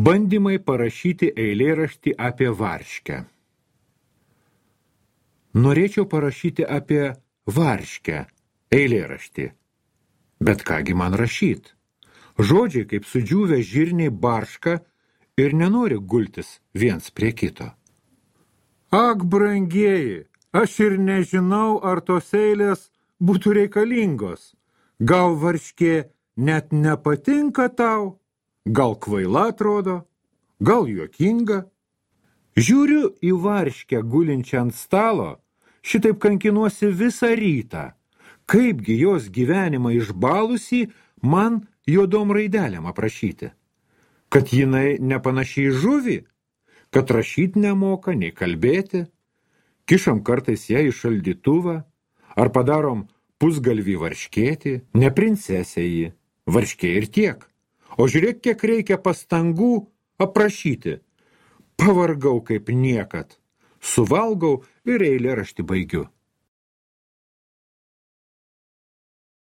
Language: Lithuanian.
Bandymai parašyti eilėraštį apie varškę. Norėčiau parašyti apie varškę eilėraštį. Bet kągi man rašyt? Žodžiai kaip sudžiūvę žirniai barška ir nenori gultis viens prie kito. Ak, brangieji, aš ir nežinau, ar tos eilės būtų reikalingos. Gal varškė net nepatinka tau? Gal kvaila atrodo, gal juokinga. Žiūriu į varškę gulinčią ant stalo, šitaip kankinuosi visą rytą. Kaipgi jos gyvenimą išbalusį man juodom raidelėm aprašyti? Kad jinai nepanašiai žuvį, kad rašyt nemoka, nei kalbėti, kišam kartais ją į šaldytuvą, ar padarom pusgalvį varškėti, ne princesė ji, varškė ir tiek. O žiūrėk, kiek reikia pastangų aprašyti. Pavargau kaip niekad. Suvalgau ir eilėraštį baigiu.